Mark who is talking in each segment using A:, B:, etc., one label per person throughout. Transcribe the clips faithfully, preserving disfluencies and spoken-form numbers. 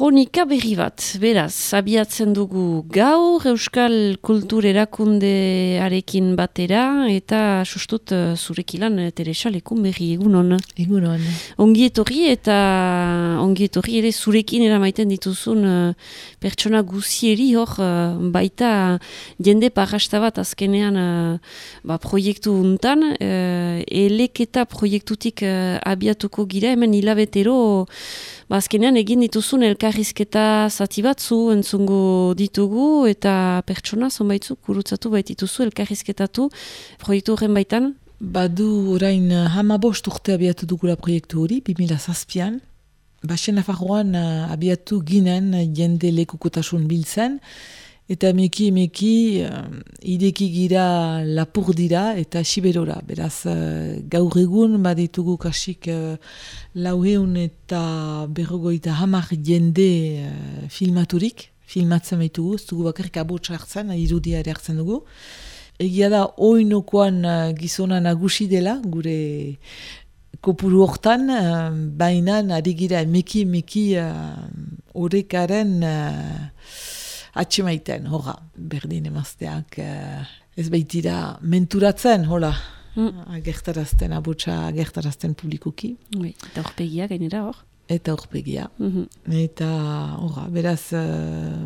A: kronika berri bat, beraz, abiatzen dugu gaur, Euskal Kultur Erakundearekin batera, eta sustut uh, zurekilan, Teresa, lekun berri, egunon.
B: Egunon.
A: Ongi etorri eta ongi etorri ere zurekin eramaiten dituzun uh, pertsona guzieri hor, uh, baita jende parrasta bat azkenean uh, ba, proiektu untan, uh, eleketa proiektutik uh, abiatuko gira, hemen hilabetero, ba, azkenean egin dituzun elkarrizketa zati batzu entzungo ditugu eta pertsona zonbaitzuk gurutzatu baitituzu elkarrizketatu proiektu horren baitan?
B: Badu orain hamabost urte abiatu dugula proiektu hori, bi mila zazpian. Basen Nafarroan abiatu ginen jende lekukotasun biltzen, eta emeki emeki uh, ideki gira lapur dira eta siberora. Beraz, uh, gaur egun baditugu kasik uh, lauheun eta berrogoita hamar jende uh, filmaturik, filmatzen baitugu, ez dugu bakarrik abotsa hartzen, irudia ere hartzen dugu. Egia da, oinokoan uh, gizona nagusi dela, gure kopuru hortan, uh, bainan ari gira emeki emeki horrekaren uh, atxemaiten, horra, berdin emazteak uh, ez baitira menturatzen, hola, mm. agertarazten, abotsa agertarazten publikoki.
A: Oui, eta horpegia gainera hor?
B: Eta horpegia.
A: Mm-hmm.
B: Eta, horra, beraz, uh,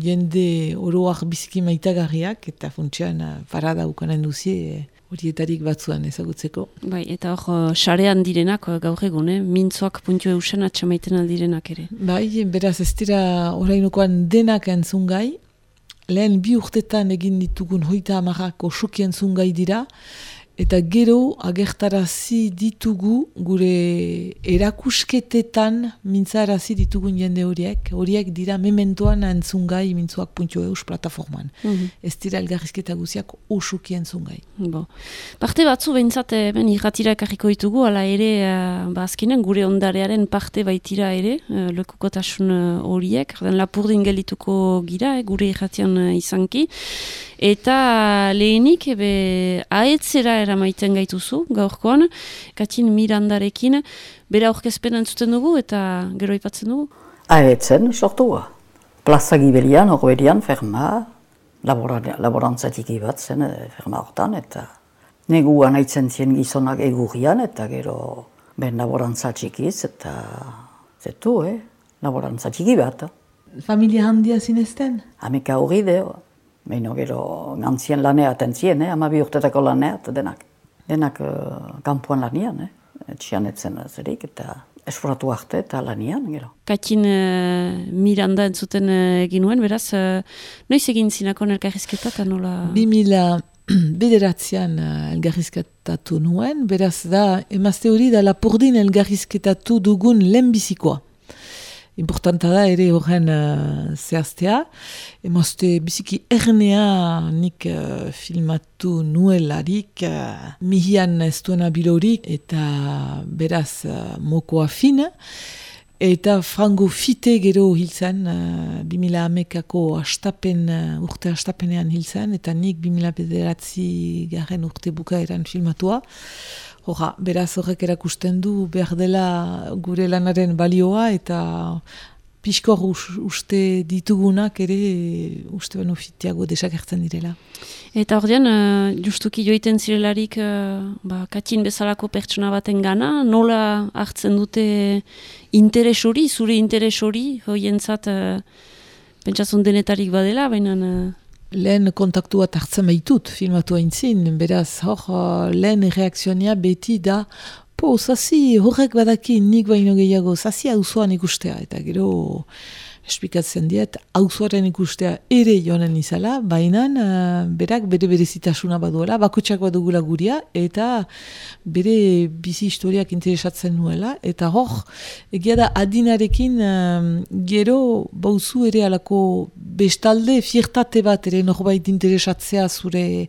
B: jende oroak biziki maitagarriak, eta funtsian uh, parada ukanen duzie, horietarik batzuan ezagutzeko.
A: Bai, eta hor, sarean direnak gaur egun, eh? Mintzoak puntu eusen atxamaiten aldirenak ere.
B: Bai, beraz ez dira orainokoan denak entzungai. Lehen bi urtetan egin ditugun hoita amarrak osoki entzungai dira. Eta gero agertarazi ditugu gure erakusketetan mintzarazi ditugun jende horiek. Horiek dira mementoan entzungai mintzoak puntu eus plataforman. Mm-hmm. Ez dira elgarrizketa guziak osoki entzungai.
A: Bo. Parte batzu behintzat ben irratira ekarriko ditugu, ala ere uh, ba, azkenean gure ondarearen parte baitira ere, uh, lekukotasun horiek, uh, lapurdin gelituko gira, eh, gure irratian uh, izanki. Eta lehenik, ebe, aetzera eramaiten gaituzu, gaurkoan, Katin Mirandarekin, bera aurkezpen entzuten dugu eta gero aipatzen dugu?
C: Aetzen, sortua. Plaza Gibelian, Orberian, ferma, laborantzatik bat zen, ferma hortan, eta neguan aitzen zien gizonak egurrian, eta gero ben laborantzatsikiz, eta zetu, eh? Laborantzatik bat.
B: Familia handia zinezten?
C: Hameka hori deo. Meino gero gantzien lanea atentzien, eh? Amabi urtetako lanea eta denak. Denak uh, kanpoan lanian, eh? Etxian etzen zerik eta esforatu arte eta lanian, gero.
A: Katin uh, Miranda entzuten uh, egin nuen, beraz, uh, noiz egin zinakon elkarrizketa eta nola?
B: Bi mila bederatzean uh, elgarrizketatu nuen, beraz da, emazte hori da lapurdin elgarrizketatu dugun lehenbizikoa. Importanta da ere horren uh, zehaztea. Emazte biziki ernea nik uh, filmatu nuelarik, uh, mihian ez duena bilorik eta beraz uh, mokoa fin. Eta frango fite gero hiltzen, uh, bi mila hamekako astapen, uh, urte astapenean hiltzen, eta nik bi mila bederatzi garen urte bukaeran filmatua. Horra, beraz horrek erakusten du behar dela gure lanaren balioa eta pixkor uste ditugunak ere uste beno fitiago desagertzen direla.
A: Eta ordean, uh, justuki joiten zirelarik uh, ba, Katin bezalako pertsona baten gana, nola hartzen dute interes hori, zure interes hori, hoientzat uh, pentsatzen denetarik badela, baina... Uh,
B: Lehen kontaktu bat hartzen baitut, filmatu haintzin, beraz, hor, lehen reakzionia beti da, po, zazi, horrek badaki nik baino gehiago, zazi auzoan ikustea, eta gero, esplikatzen diet, auzoaren ikustea ere joanen izala, baina uh, berak bere berezitasuna baduela, bakotxak badugula guria, eta bere bizi historiak interesatzen nuela, eta hor, egia da adinarekin uh, gero bauzu ere alako bestalde fiertate bat ere norbait interesatzea zure,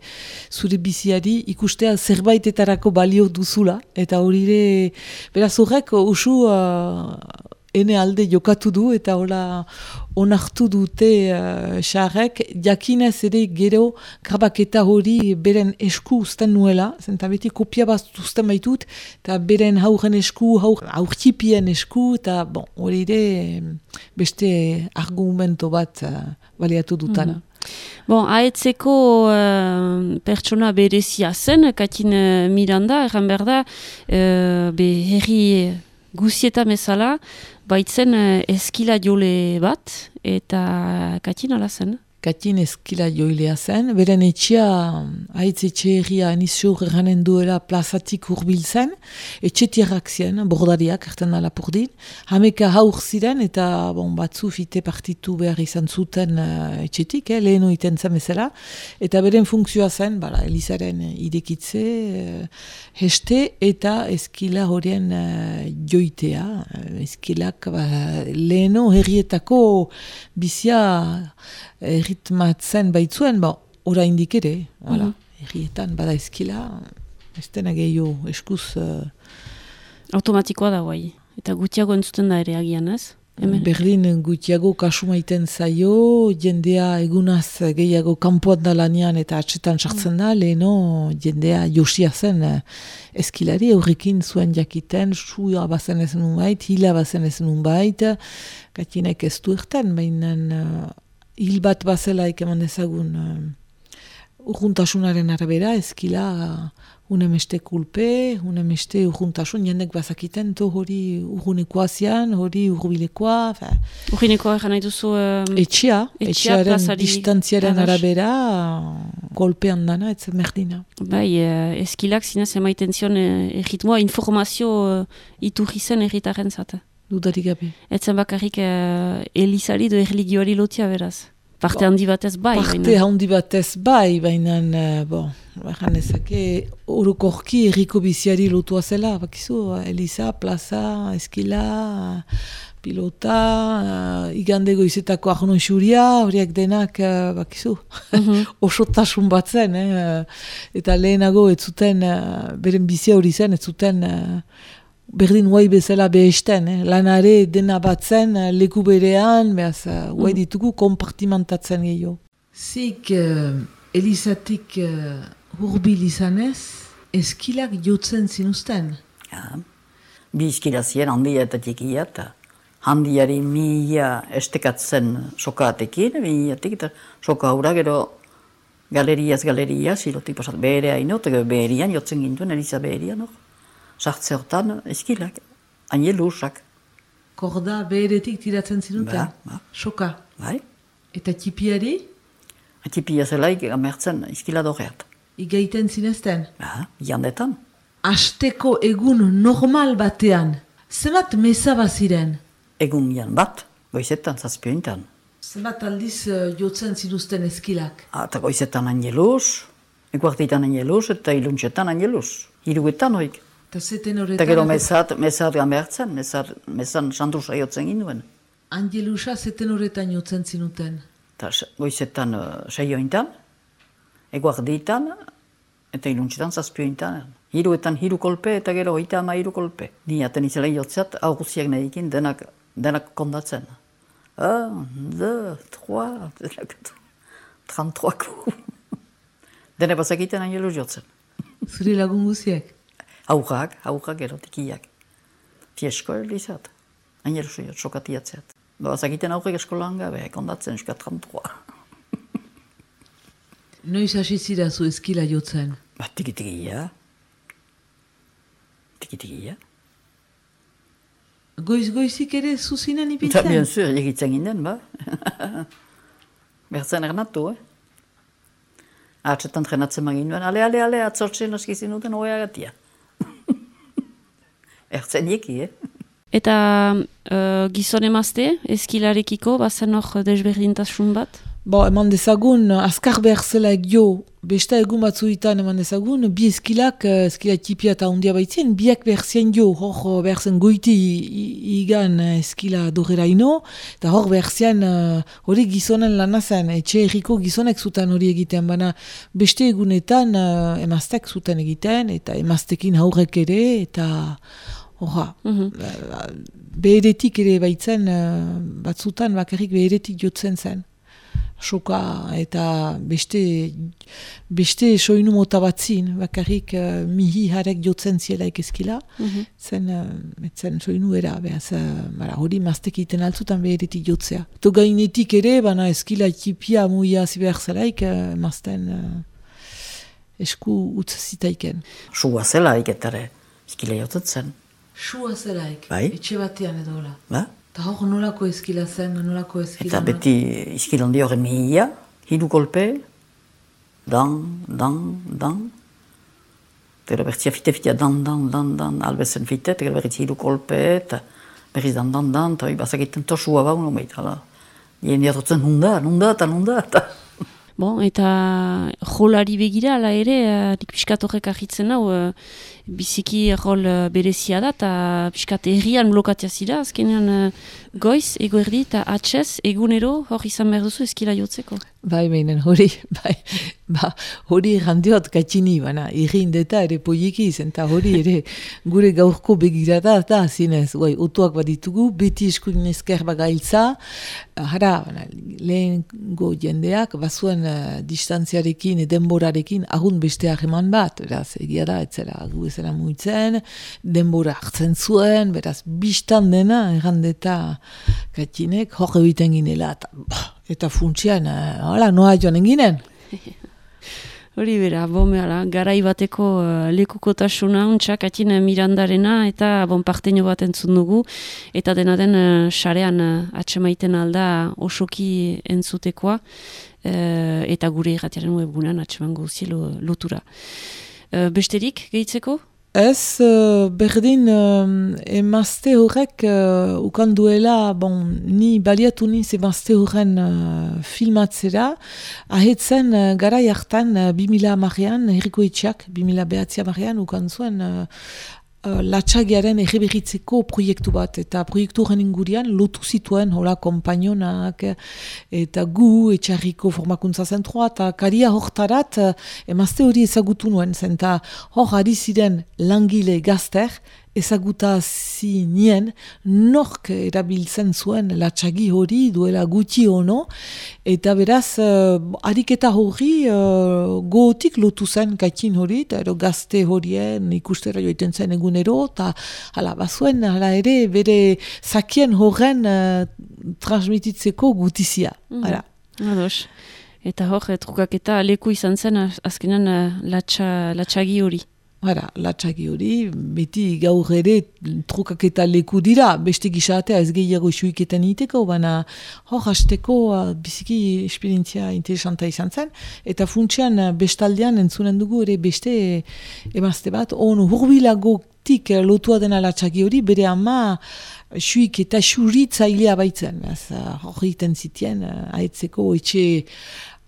B: zure biziari, ikustea zerbaitetarako balio duzula, eta hori ere, beraz horrek usu uh, ene alde jokatu du, eta hola onartu dute xarrek, uh, jakinez ere gero grabaketa hori beren esku uzten nuela, zenta beti kopia bat uzten baitut, eta beren hauren esku, haur, aurkipien esku, eta bon, hori ere beste argumento bat uh, baliatu dutana. Mm-hmm.
A: Bon, aetzeko uh, pertsona berezia zen, Katin uh, Miranda, erran behar da, uh, be herri guzieta mesala, baitzen uh, eskila jole bat, eta Katin ala zen?
B: Katin eskila joilea zen, beren etxea, haitz etxe herria enizior erranen duela plazatik hurbil zen, etxetierrak ziren, bordariak, erten da lapurdin, hameka haur ziren, eta bon, batzu fite partitu behar izan zuten uh, etxetik, eh, leheno iten zen bezala, eta beren funkzioa zen, bala, Elizaren idekitze, uh, heste, eta eskila horien uh, joitea, uh, eskilak ba, leheno herrietako bizia erritmatzen baitzuen, ba, ora indik ere, mm-hmm. Errietan bada eskila, ez dena gehiago eskuz... Uh...
A: Automatikoa da guai, eta gutiago entzuten da ere agian, ez? Hemen.
B: Berdin gutiago kasu maiten zaio, jendea egunaz gehiago kanpoan da lanian eta atxetan sartzen da, leheno jendea josia zen uh, eskilari, horrekin zuen jakiten, suia bazen ez nun bait, hila bazen ez nun bait, Katinek ez du erten, baina... Uh, hil bat bazela eman dezagun uh, urjuntasunaren arabera, eskila uh, unemeste kulpe, unemeste urjuntasun, jendek bazakiten, to hori urgunekoa zian, hori urbilekoa.
A: Urgunekoa egan nahi duzu... Um,
B: etxea, etxearen
A: plazari,
B: distantziaren
A: ados.
B: Arabera, uh, golpean dana, ez merdina.
A: Bai, uh, eskilak zinez emaiten zion uh, erritmoa, informazio uh, iturri zen erritaren zate.
B: Dudarik gabe.
A: Etzen bakarrik uh, Elizari do erligioari lotia beraz. Parte handi batez bai.
B: Parte
A: baina.
B: handi batez bai, baina, uh, bon, baina ezake, orokorki erriko biziari lotua zela, bakizu, Eliza, plaza, eskila, pilota, uh, igande goizetako arnon xuria, horiek denak, uh, bakizu, mm-hmm. osotasun bat zen, eh? Eta lehenago ez zuten, uh, beren bizia hori zen, ez zuten... Uh, berdin guai bezala behesten, eh? Lanare dena batzen, leku berean, behaz, guai mm. ditugu kompartimentatzen gehiago. Zik, uh, Elizatik uh, hurbil izanez, eskilak jotzen zinuzten?
C: Ja, bi eskila ziren handia eta tikia, eta handiari mila estekatzen sokatekin, milatik, eta soka haura gero galeriaz galeria, silotik pasat beherea ino, eta beherian jotzen gintuen, Eliza beherian, no? Sartze hortan, eskilak, angelusak.
B: Korda beheretik tiratzen zinuten?
C: Ba, ba.
B: Soka?
C: Bai.
B: Eta tipiari?
C: Tipia zelaik amertzen eskila doreat.
B: Igaiten zinezten?
C: Ba, jandetan.
B: Asteko egun normal batean, zebat meza baziren?
C: Egun jan bat, goizetan, zazpiointan.
B: Zebat aldiz uh, jotzen zinuzten eskilak?
C: Eta goizetan angeluz, ekuartitan angeluz, eta iluntxetan angeluz. Hiruetan hoik. Eta gero mezat, mezat gamertzen, mezan sandrusa jotzen ginduen.
B: Angelusa zeten horretan jotzen zinuten?
C: Eta goizetan uh, seiointan, eguarditan, eta iluntxetan zazpiointan. Hiruetan hiru kolpe eta gero hoita ama hiru kolpe. Ni aten izela jotzat, auguziak nahikin denak, denak kondatzen. Un, deux, trois, trente-trois ku. Dene bazakiten angeluz jotzen.
B: Zuri lagun guziak?
C: Aurrak, aurrak erotikiak. Fiesko elizat. Ainer zuiot, sokatiatzeat. Bazakiten aurrek eskolan gabe, kondatzen eska trente-trois.
B: Noiz hasi zira zu eskila jotzen?
C: Ba, tiki-tikia. Tiki-tikia.
B: Goiz-goizik ere zuzinen ipintzen?
C: Eta, bien zur, egitzen ginen, ba. Bertzen ernatu, eh? Artsetan trenatzen magin duen, ale, ale, ale, atzortzen askizin duten oeagatia. Ertzen eki, eh?
A: Eta uh, gizon emazte, eskilarekiko, bazen hor desberdintasun bat?
B: Bo, eman dezagun, azkar behar zela egio, besta egun batzuetan eman dezagun, bi eskilak, eskila tipia eta hundia baitzen, biak behar zien jo, hor behar zen goiti igan eskila dorera ino, eta hor behar zien hori gizonen lana zen, etxe erriko gizonek zuten hori egiten, baina beste egunetan emaztek zuten egiten, eta emaztekin haurrek ere, eta horra.
A: Mhm.
B: Beheretik ere baitzen, uh, batzutan bakarrik beheretik jotzen zen. Soka eta beste, beste soinu mota batzin, bakarrik uh, mihi harek jotzen zielaik ezkila,
A: Mhm.
B: zen, uh, zen soinu era, behaz, uh, bara, hori maztek iten altzutan beheretik jotzea. To gainetik ere, bana ezkila ekipia muia ziber zelaik, uh, mazten uh, esku utz zitaiken.
C: Sua zela iketare, izkile jotetzen.
B: Sua zelaik,
C: Bai.
B: etxe batean edo hola.
C: Ba?
B: Eta hor nolako ezkila zen, nolako ezkila.
C: Eta beti izkilondi horren mihia, hiru kolpe, dan, dan, dan. Eta bertzia fite-fitea dan, dan, dan, dan, albezen fite, eta berriz hiru kolpe, eta berriz dan, dan, dan, eta bazakiten tosua bau, no behit, hala. Ien diatotzen nunda, nunda, eta nunda, eta...
A: Bon, eta jolari begira, ala ere, uh, nik piskat horrek ahitzen hau, uh, biziki rol uh, berezia da, eta piskat herrian blokatia zira, azkenean uh, goiz, egoerdi, eta atxez, egunero, hor izan behar duzu ezkila jotzeko.
B: Bai, beinen, hori, bai, ba, hori errandiot katxini, baina, irrindeta ere poieki izen, eta hori ere gure gaurko begirada, eta zinez, guai, otuak baditugu, beti eskuin ezker bagailtza, hara, baina, lehengo jendeak, bazuen uh, distantziarekin, denborarekin, agun beste hageman bat, beraz, egia da, etzela, gu ezela muitzen, denbora hartzen zuen, beraz, biztan dena, errandeta katxinek, hor egiten ginela, eta, bah, eta funtsian, hala, noa joan enginen.
A: Hori bera, bon, behala, garai bateko uh, lekukotasuna, untxak, atin uh, Mirandarena, eta bon, parteño bat entzun dugu, eta dena den uh, sarean uh, atxemaiten alda osoki entzutekoa, uh, eta gure irratiaren webgunean atxeman gauzi lotura. Uh, besterik, gehitzeko?
B: Ez, uh, berdin, uh, emazte horrek uh, ukan duela, bon, ni baliatu niz emazte horren uh, filmatzera, ahetzen uh, garai hartan, uh, bi mila hamarrean, herriko itxak, bi mila behatzi hamarrean, ukan zuen uh, uh, latxagiaren erreberritzeko proiektu bat, eta proiektu horren ingurian lotu zituen, hola, kompainonak, eta gu, etxarriko formakuntza zentroa, eta karia hortarat, uh, emazte hori ezagutu nuen, zen, eta hor ari ziren langile gazter, ezaguta zinien, nork erabiltzen zuen latxagi hori duela gutxi ono, eta beraz, uh, ariketa hori uh, gotik lotu zen kaitin hori, eta ero gazte horien ikustera joiten zen egunero, eta hala, bazuen, hala ere, bere zakien horren uh, transmititzeko gutizia.
A: Mm.
B: Hala.
A: Ados. Eta hor, trukaketa leku izan zen, azkenan uh, latxa, latxagi hori.
B: Hara, latxagi hori, beti gaur ere trukaketa leku dira, beste gisatea ez gehiago isuiketan iteko, baina hor hasteko uh, biziki esperientzia interesanta izan zen, eta funtsian uh, bestaldean entzunen dugu ere beste emazte bat, on hurbilagotik uh, lotua dena latxagi hori, bere ama suik eta suritzailea baitzen, hor egiten zitien, uh, ahetzeko etxe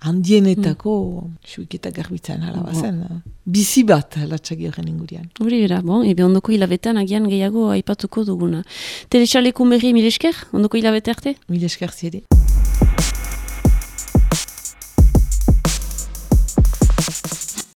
B: handienetako mm. suiketa garbitzen hala bazen. Bon. Bizi bat latxagi horren ingurian.
A: Hori bera, bon, ebe ondoko hilabetean agian gehiago aipatuko duguna. Telexalekun berri mil esker, ondoko hilabete arte?
B: Mil esker zire.